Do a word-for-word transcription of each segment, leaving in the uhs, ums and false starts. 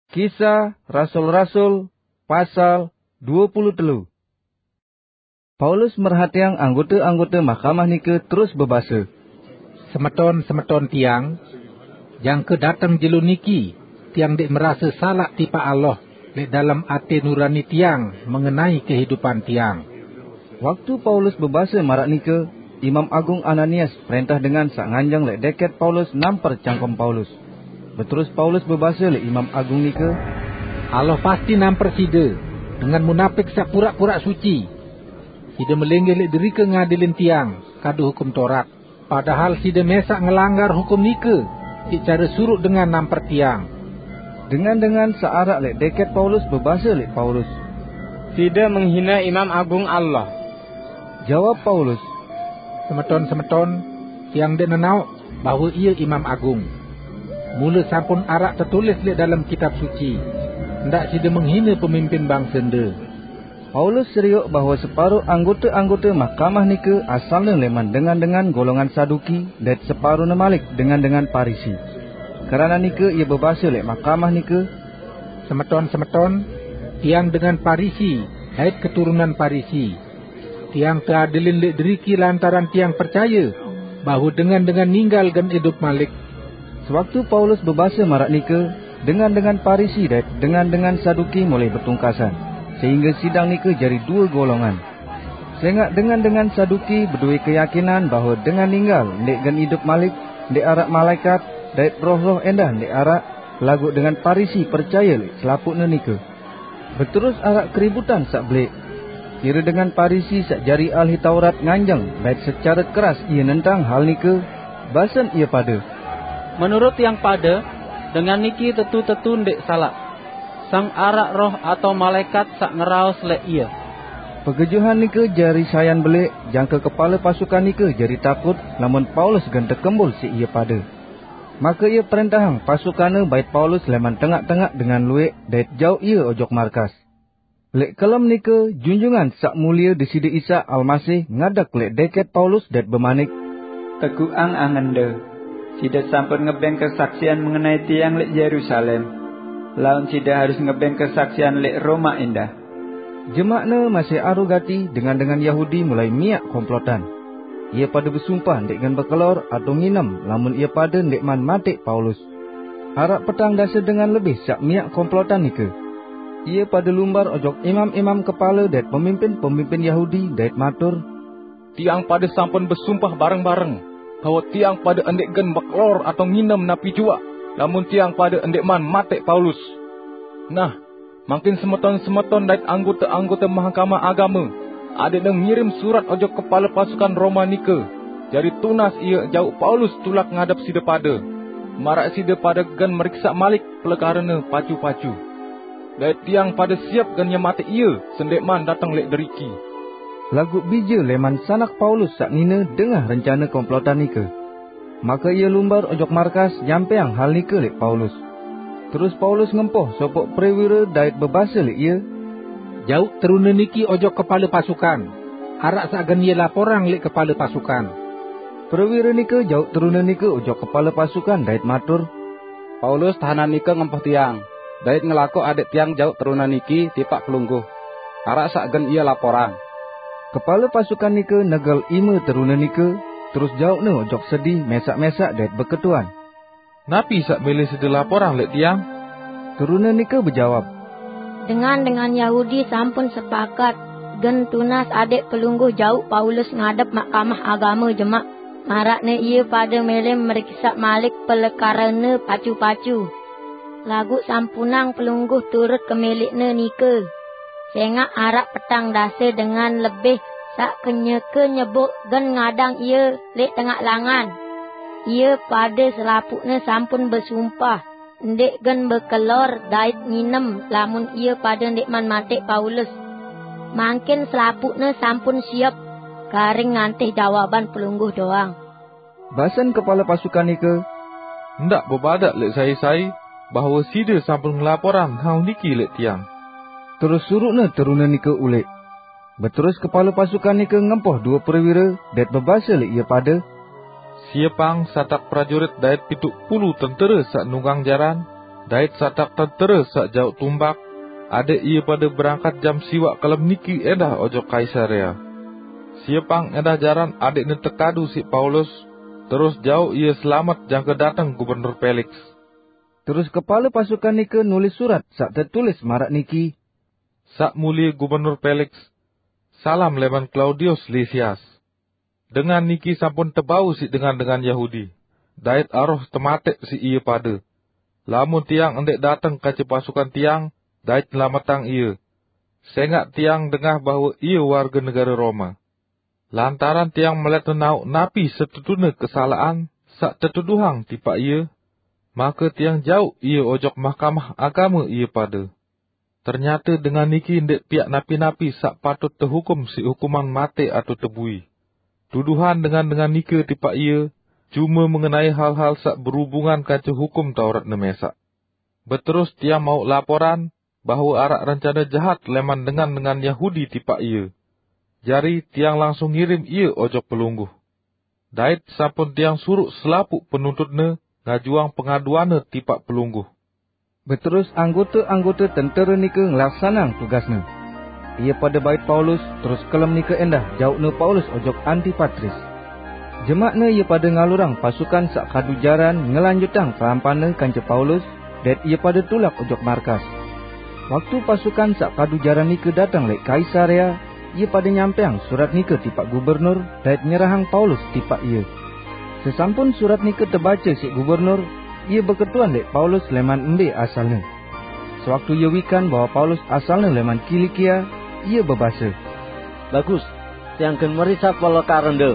Kisah Rasul-Rasul, pasal dua puluh telu. Paulus merhatiang anggota-anggota mahkamah nike terus bebasa, "Semeton-semeton tiang, jangka dateng jelo niki, tiang ndeq merase salaq tipaq Allah leq dalem ate nurani tiang mengenai kehidupan tiang." Waktu Paulus bebase maraq nike, Imam Agung Ananias prentah dengan saq nganjeng leq deket Paulus namper cangkem Paulus. Beterus Paulus bebase leq Imam Agung nike, "Allah pasti namper side, dengan munapik saq puraq-puraq suci. Side melinggih leq derike ngadilin tiang kadu Hukum Torat, padahal side mesaq ngelanggar hukum nike siq care suruq dengan namper tiang." Dengan-dengan saq araq leq deket Paulus bebase leq Paulus, "Side menghine Imam Agung Allah." Jawab Paulus, "Semeton-semeton, tiang ndeq nenaoq bahwe ie Imam Agung. Mule sampun araq tetulis leq dalem Kitab Suci, 'Ndaq side menghine pemimpin bangsende.'" Paulus serioq bahwe separo anggote-anggote mahkamah nike asalne leman dengan-dengan golongan Saduki, dait separone malik dengan-dengan Parisi. Keranaq nike ie bebase leq mahkamah nike, "Semeton-semeton, tiang dengan Parisi dait keturunan Parisi. Tiang teadilin leq deriki lantaran tiang percaye bahwe dengan-dengan ninggal gen idup malik." Sewaktu Paulus bebase maraq nike, dengan-dengan Parisi dait dengan-dengan Saduki mulai betungkasan, sehingge sidang nike jari due golongan. Sengaq dengan-dengan Saduki bedowe keyakinan bahwe dengan ninggal ndeq gen idup malik, ndeq araq malaekat, dait roh-roh endah ndeq araq, laguq dengan Parisi percaye leq selapuqne nike. Beterus araq keributan saq belek. Pire dengan Parisi saq jari ahli Taurat nganjeng dait secare keras ie nentang hal nike, basen ie pade, "Menurut tiang pade, dengan niki tetu-tetu ndeq salaq. Sang araq roh atau malaekat saq ngeraos leq ie." Pegejuhan nike jari sayan belek, jangke kepale pasukan nike jari takut lamun Paulus gen tekembul siq ie pade. Make ie prentahang pasukanne bait Paulus leman tengaq-tengaq dengan lueq dait jauq ie ojok markas. Leq kelem nike, Junjungan Saq Mulie Deside Isa Almasih ngadeg leq deket Paulus dait bemanik, "Teguqang angende. Side sampun ngebeng kesaksian mengenai tiang leq Yerusalem, laun side harus ngebeng kesaksian leq Roma endah." Jemakne masih aru gati dengan-dengan Yahudi mulai miaq komplotan. Ie pade besumpah ndeq gen bekelor atau nginem lamun ie pade ndeqman mateq Paulus. Araq petang dase dengan lebih saq miaq komplotan nike. Ie pade lumbar ojok imam-imam kepale dait pemimpin-pemimpin Yahudi dait matur, "Tiang pade sampun besumpah bareng-bareng bahwe tiang pade ndeq gen bekelor atau nginem napi juaq, lamun tiang pade ndeqman mateq Paulus. Nah, mangkin semeton-semeton dait anggote-anggote Mahkamah Agame adeqne ngirim surat ojok kepale pasukan Roma nike, jari tunas ie jauq Paulus tulak ngadep side pade, maraq side pade gen meriksaq malik pelekarene pacu-pacu. Dait tiang pade siep gen nyemateq ie sendeqman dateng leq deriki." Laguq bije leman sanak Paulus saq nine dengah rencane komplotan nike. Make ie lumbar ojok markas nyampeang hal nike leq Paulus. Terus Paulus ngempoh sopoq prewire dait bebase leq ie, "Jauq terune niki ojok kepale pasukan. Araq saq gen ie laporang leq kepale pasukan." Prewire nike jauq terune nike ojok kepale pasukan dait matur, "Paulus tahanan nike ngempoh tiang, dait ngelakoq adeq tiang jauq terune niki tipaq pelungguh. Araq saq gen ie laporang." Kepale pasukan nike negel ime terune nike, terus jauqne ojok sedi mesaq-mesaq dait beketuan, "Napi saq mele side laporang leq tiang?" Terune nike bejawab, "Dengan-dengan Yahudi sampun sepakat gen tunas adeq pelungguh jauq Paulus ngadep Mahkamah Agame jemaq, maraqne ie pade mele meriksaq malik pelekarene pacu-pacu. Laguq sampunang pelungguh turut kemeleqne nike. Sengaq araq petang dase dengan lebih saq kenyeke nyeboq gen ngadang ie leq tengaq langan. Ie pade selapuqne sampun besumpah ndeq gen bekelor dait nginem lamun ie pade ndeqman mateq Paulus. Mangkin selapuqne sampun siep, garing ngantih jawaban pelungguh doang." Basen kepale pasukan nike, "Ndaq bebadaq leq sai-sai bahwe side sampun ngelaporang hal niki leq tiang." Terus suruqne terune nike uleq. Beterus kepale pasukan nike ngempoh due prewire dait bebase leq ie pade, "Siepang satak prajurit dait pitu pulu tentere saq nunggang jaran, Dait satak tentera saq jauq tumbak, adaq ie pade berangkat jam siwaq kelem niki endah ojok Kaisarea. Siepang endah jaran adaqne tekadu siq Paulus, terus jauq ie selamet jangke dateng Gubernur Peliks. Terus kepale pasukan nike nulis surat saq tetulis maraq niki, "Saq Mulie Gubernur Peliks, salam leman Klaudius Lisias. Dengan niki sampun tebau siq dengan-dengan Yahudi, dait aroh temateq siq ie pade. Lamun tiang ndeq dateng kance pasukan tiang dait nyelametang ie, sengaq tiang dengah bahwe ie warge negare Roma. Lantaran tiang melet nenaoq napi setetune kesalaqan saq tetuduhang tipaq ie, make tiang jauq ie ojok Mahkamah Agame ie pade. Ternyate dengan niki ndeq piaq napi-napi saq patut tehukum siq hukuman mate atau tebui. Tuduhan dengan-dengan nike tipaq ie cume mengenai hal-hal saq berubungan kance Hukum Tauratne mesaq." Beterus tiang mauq laporan bahwe araq rencane jahat leman dengan-dengan Yahudi tipaq ie. Jari tiang langsung ngirim ie ojok pelungguh. Dait sampun tiang suruq selapuq penuntutne ngajuang pengaduanne tipaq pelungguh. Beterus anggote-anggote tentere nike ngelaksaneang tugasne. Ie pade bait Paulus, terus kelem nike endah jauqne Paulus ojok Antipatris. Jemaqne ie pade ngalurang pasukan saq kadu jaran ngelanjutang kelampanne kance Paulus, dait ie pade tulak ojok markas. Waktu pasukan saq kadu jaran nike dateng leq Kaisarea, ie pade nyampeang surat nike tipaq gubernur dait nyerahang Paulus tipaq ie. Sesampun surat nike tebace siq gubernur, ie beketuan leq Paulus leman embe asalne. Sewaktu ie wikan bahwe Paulus asalne leman Kilikia, ie bebase, "Bagus, tiang gen merisap pelekaren de,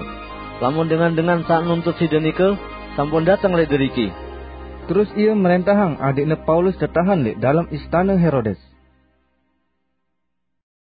lamun dengan-dengan saq nuntut side nike sampun dateng leq deriki." Terus ie merentahang adeqne Paulus tetahen leq dalem istane Herodes.